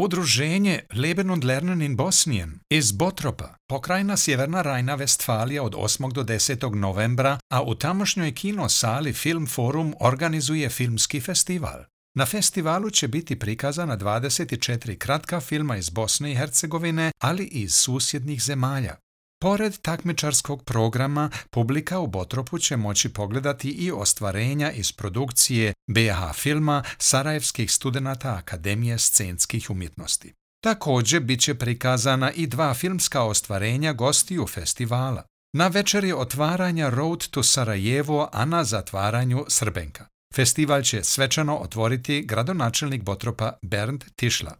Udruženje Leben und Lernen in Bosnien iz Botropa, pokrajina Sjeverna Rajna-Vestfalija od 8. do 10. novembra, a u tamošnjoj kinosali Film Forum organizuje filmski festival. Na festivalu će biti prikazana 24 kratka filma iz Bosne i Hercegovine, ali i iz susjednih zemalja. Pored takmičarskog programa, publika u Botropu će moći pogledati i ostvarenja iz produkcije BiH filma sarajevskih studenata Akademije scenskih umjetnosti. Također bit će prikazana i 2 filmska ostvarenja gostiju festivala. Na večeri otvaranja Road to Sarajevo, a na zatvaranju Srbenka. Festival će svečano otvoriti gradonačelnik Botropa Bernd Tišla.